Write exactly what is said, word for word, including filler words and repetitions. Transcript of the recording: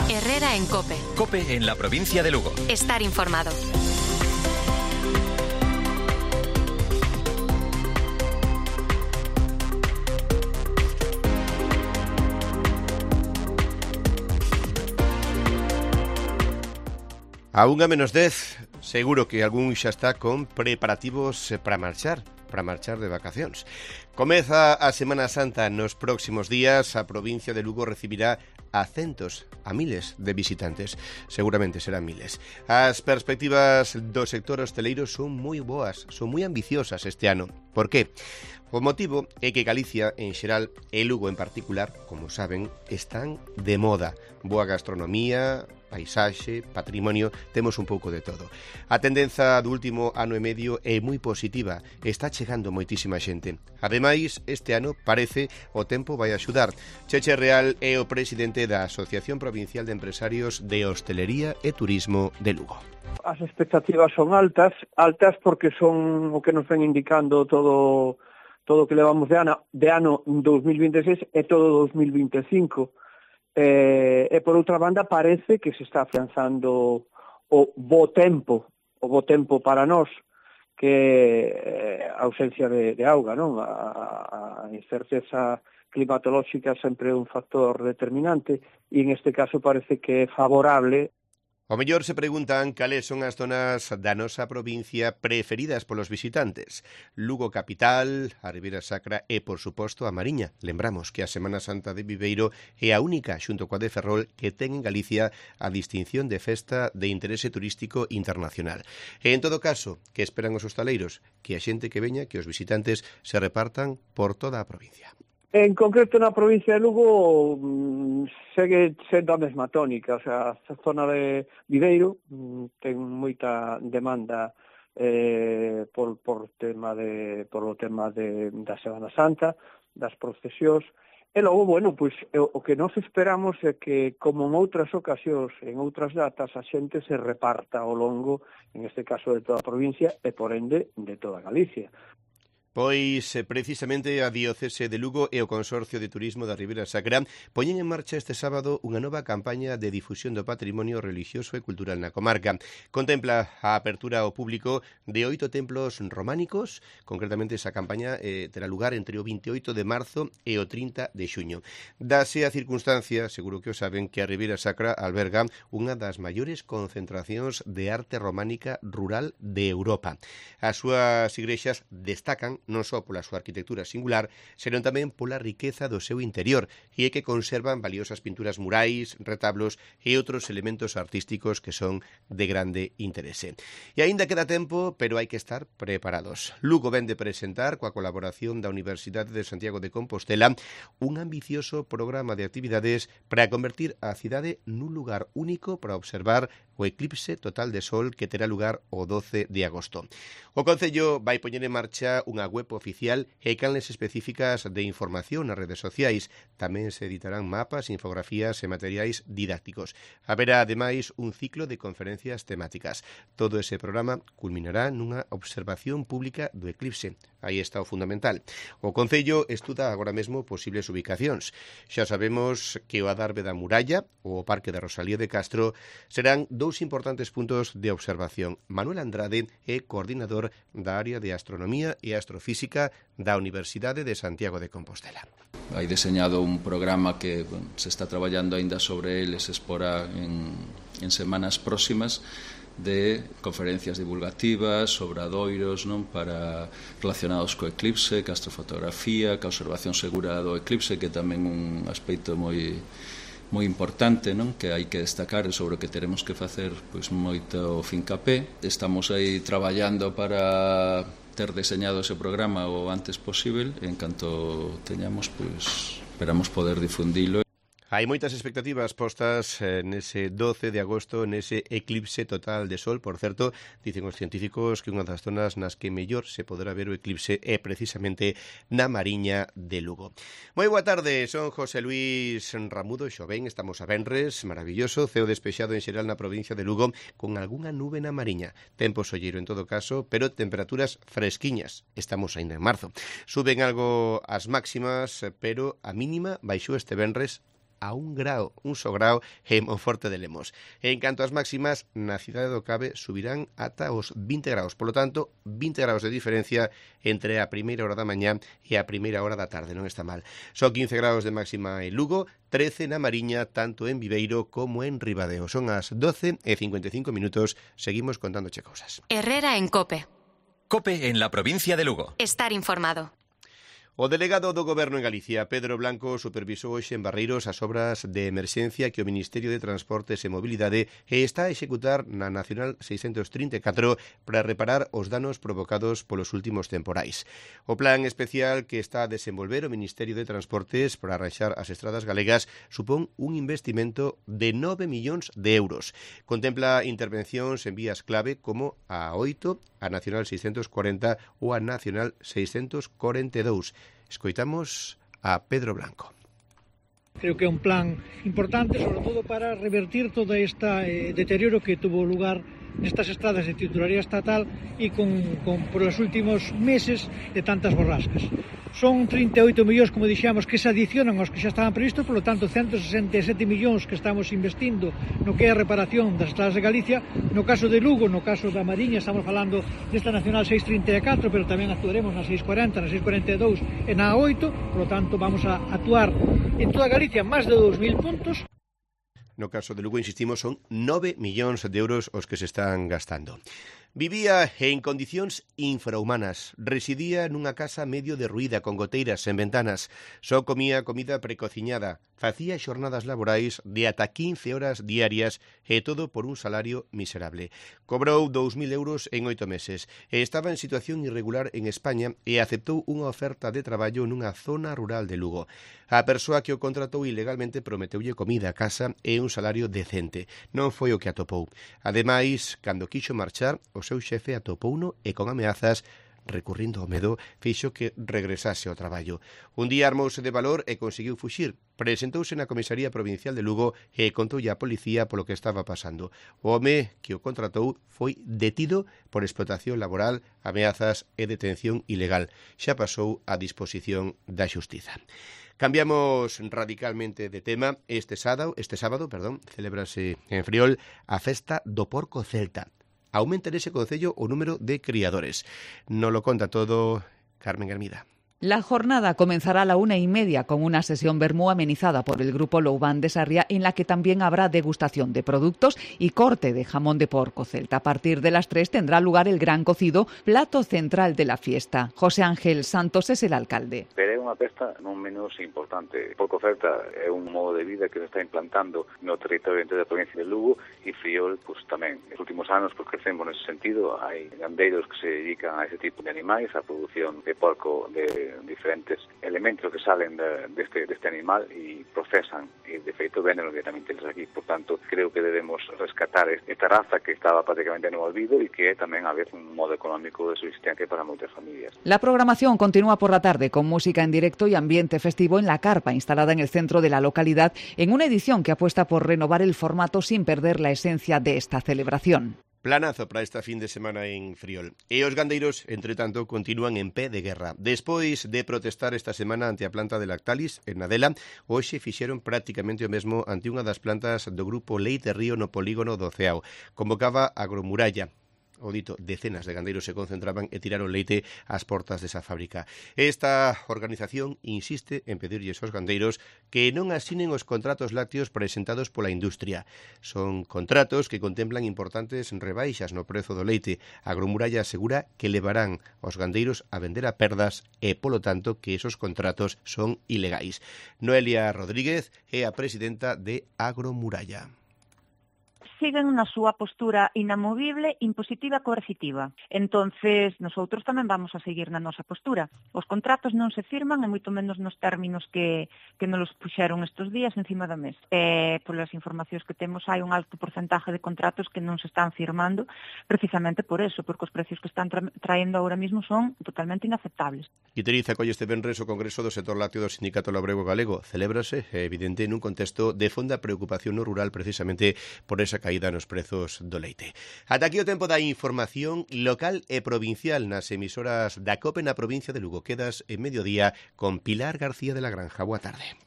Herrera en COPE. COPE en la provincia de Lugo. Estar informado. A unha menos dez, seguro que algún xa está con preparativos para marchar, para marchar de vacacións. Comeza a Semana Santa nos próximos días, a provincia de Lugo recibirá a centos, a miles de visitantes. Seguramente serán miles. As perspectivas do sector hosteleiro son moi boas, son moi ambiciosas este ano. Por qué? O motivo é que Galicia, en xeral, e Lugo en particular, como saben, están de moda. Boa gastronomía, paisaxe, patrimonio, temos un pouco de todo. A tendenza do último ano e medio é moi positiva, está chegando moitísima xente. Ademais, este ano parece o tempo vai axudar. Cheche Real é o presidente da Asociación Provincial de Empresarios de Hostelería e Turismo de Lugo. As expectativas son altas, altas porque son o que nos ven indicando todo todo o que levamos de ano, de ano dos mil vinte e seis e todo dos mil vinte e cinco. Eh, e por outra banda parece que se está afianzando o bo tempo, o bo tempo para nós, que é a ausencia de, de auga, non? A, a incerteza climatolóxica sempre é un factor determinante e en este caso parece que é favorable. O mellor se preguntan cales son as zonas da nosa provincia preferidas polos visitantes. Lugo capital, a Ribeira Sacra e, por suposto, a Mariña. Lembramos que a Semana Santa de Viveiro é a única, xunto coa de Ferrol, que ten en Galicia a distinción de festa de interese turístico internacional. E, en todo caso, que esperan os hostaleiros? Que a xente que veña, que os visitantes se repartan por toda a provincia. En concreto, na provincia de Lugo mmm, segue sendo a mesma tónica, o sea, a zona de Viveiro mmm, ten moita demanda eh, por, por, tema de, por o tema de, da Semana Santa, das procesións, e logo, bueno, pois, o que nós esperamos é que, como en outras ocasións, en outras datas, a xente se reparta ao longo, en este caso, de toda a provincia e, por ende, de toda Galicia. Pois, precisamente, a Diocese de Lugo e o Consorcio de Turismo da Ribeira Sacra poñen en marcha este sábado unha nova campaña de difusión do patrimonio religioso e cultural na comarca. Contempla a apertura ao público de oito templos románicos, concretamente esa campaña eh, terá lugar entre o veintioito de marzo e o trinta de xuño. Dase a circunstancia, seguro que o saben, que a Ribeira Sacra alberga unha das maiores concentracións de arte románica rural de Europa. As súas igrexas destacan non só pola súa arquitectura singular, senón tamén pola riqueza do seu interior, e é que conservan valiosas pinturas murais, retablos e outros elementos artísticos que son de grande interese. E aínda queda tempo, pero hai que estar preparados. Lugo vén de presentar, coa colaboración da Universidade de Santiago de Compostela, un ambicioso programa de actividades para convertir a cidade nun lugar único para observar o eclipse total de sol que terá lugar o doce de agosto. O Concello vai poñer en marcha unha web oficial e canles específicas de información nas redes sociais. Tamén se editarán mapas, infografías e materiais didácticos. Haberá, ademais, un ciclo de conferencias temáticas. Todo ese programa culminará nunha observación pública do eclipse. Aí está o fundamental. O Concello estuda agora mesmo posibles ubicacións. Xa sabemos que o Adarve da Muralla ou o Parque da Rosalía de Castro serán dous importantes puntos de observación. Manuel Andrade é coordinador da área de Astronomía e Astrofísica da Universidade de Santiago de Compostela. Hai deseñado un programa que bueno, se está traballando aínda sobre ele, se exporá en, en semanas próximas, de conferencias divulgativas, obradoiros, non, para relacionados co eclipse, ca astrofotografía, ca observación segura do eclipse, que tamén un aspecto moi moi importante, non, que hai que destacar sobre o que teremos que facer pois moito fincapé. Estamos aí traballando para ter deseñado ese programa o antes posible, e en canto teñamos, pois esperamos poder difundilo. Hai moitas expectativas postas eh, nese doce de agosto, nese eclipse total de sol. Por certo, dicen os científicos que unha das zonas nas que mellor se poderá ver o eclipse é precisamente na Mariña de Lugo. Moi boa tarde, son José Luis Ramudo, Xobén, estamos a venres, maravilloso, ceo despexado en xeral na provincia de Lugo, con algunha nube na Mariña. Tempo solleiro en todo caso, pero temperaturas fresquiñas. Estamos ainda en marzo. Suben algo as máximas, pero a mínima baixou este venres a un grao, un só grao en Monforte de Lemos. En canto ás máximas, na cidade do Cabe subirán ata os vinte graus, polo tanto, vinte graus de diferencia entre a primeira hora da mañá e a primeira hora da tarde, non está mal. Son quince graus de máxima en Lugo, trece na Mariña, tanto en Viveiro como en Ribadeo. Son as doce e cincuenta e cinco minutos, seguimos contándoche cousas. Herrera en COPE. COPE en la provincia de Lugo. Estar informado. O delegado do Goberno en Galicia, Pedro Blanco, supervisou hoxe en Barreiros as obras de emerxencia que o Ministerio de Transportes e Mobilidade está a executar na Nacional seiscentos trinta e catro para reparar os danos provocados polos últimos temporais. O plan especial que está a desenvolver o Ministerio de Transportes para arranxar as estradas galegas supón un investimento de nove millóns de euros. Contempla intervencións en vías clave como a oito, a Nacional seiscentos cuarenta ou a Nacional seiscentos cuarenta e dous. Escoitamos a Pedro Blanco. Creo que é un plan importante, sobre todo para revertir todo este eh, deterioro que tuvo lugar nestas estradas de titularidade estatal e con, con, por os últimos meses de tantas borrascas. Son trinta e oito millóns, como dixemos, que se adicionan aos que xa estaban previstos, por lo tanto, ciento sesenta e sete millóns que estamos investindo no que é a reparación das estradas de Galicia. No caso de Lugo, no caso da Mariña, estamos falando desta Nacional seiscentos trinta e catro, pero tamén actuaremos na seiscentos cuarenta, na seiscentos cuarenta e dous e na oito, por lo tanto, vamos a actuar en toda Galicia máis de dous mil puntos. No caso de Lugo, insistimos, son nove millóns de euros os que se están gastando. Vivía en condicións infrahumanas. Residía nunha casa medio derruída, con goteiras sen ventanas. Só comía comida precociñada. Facía xornadas laborais de ata quince horas diarias e todo por un salario miserable. Cobrou dous mil euros en oito meses e estaba en situación irregular en España e aceptou unha oferta de traballo nunha zona rural de Lugo. A persoa que o contratou ilegalmente prometeulle comida, casa e un salario decente. Non foi o que atopou. Ademais, cando quixo marchar, o seu xefe atopouno e con ameazas, recurrindo ao medo, fixo que regresase ao traballo. Un día armouse de valor e conseguiu fuxir. Presentouse na Comisaría Provincial de Lugo e contoulle á policía polo que estaba pasando. O home que o contratou foi detido por explotación laboral, ameazas e detención ilegal. Xa pasou a disposición da xustiza. Cambiamos radicalmente de tema. Este sábado, este sábado, perdón, celébrase en Friol a festa do porco celta. Aumenta nese concello o número de criadores. Nos lo conta todo Carmen Hermida. La jornada comenzará a la una y media con una sesión vermú amenizada por el grupo Loubán de Sarria, en la que también habrá degustación de productos y corte de jamón de porco celta. A partir de las tres tendrá lugar el gran cocido, plato central de la fiesta. José Ángel Santos es el alcalde. Pero é unha festa non menos importante. Porco celta é un modo de vida que se está implantando no territorio da provincia de Lugo e Friol, pues, tamén. Nos últimos anos, pues, crecemos nesse sentido. Hai gandeiros que se dedican a ese tipo de animais, a produción de porco de diferentes elementos que salen de, de este, de este animal y procesan y de feito venden directamente aquí. Por tanto, creo que debemos rescatar esta raza que estaba prácticamente no olvido y que tamén a veces un modo económico de subsistencia para moitas familias. La programación continúa por la tarde con música en directo y ambiente festivo en la carpa instalada en el centro de la localidad, en una edición que apuesta por renovar el formato sin perder la esencia de esta celebración. Planazo para esta fin de semana en Friol. E os gandeiros, entre tanto, continúan en pé de guerra. Despois de protestar esta semana ante a planta de Lactalis, en Nadela, hoxe fixeron prácticamente o mesmo ante unha das plantas do grupo Leite Río no polígono do Ceao. Convocaba Agromuralla. O dito, decenas de gandeiros se concentraban e tiraron leite ás portas desa fábrica. Esta organización insiste en pedirlles aos gandeiros que non asinen os contratos lácteos presentados pola industria. Son contratos que contemplan importantes rebaixas no prezo do leite. Agromuralla asegura que levarán aos gandeiros a vender a perdas e, polo tanto, que esos contratos son ilegais. Noelia Rodríguez é a presidenta de Agromuralla. Siguen na súa postura inamovible, impositiva e coercitiva. Entonces, nosotros tamén vamos a seguir na nosa postura. Os contratos non se firman, e moito menos nos términos que, que nos puxeron estes días encima da mesa. E, polas informacións que temos, hai un alto porcentaje de contratos que non se están firmando, precisamente por eso, porque os precios que están tra traendo ahora mismo son totalmente inaceptables. Iteriza colle este venres o Congreso do Sector Lácteo do Sindicato Labrego Galego. Celébrase, evidente, nun contexto de fonda preocupación no rural, precisamente por esa caída nos prezos do leite. Ata aquí o tempo da información local e provincial nas emisoras da COPE na provincia de Lugo. Quedas en mediodía con Pilar García de la Granja. Boa tarde.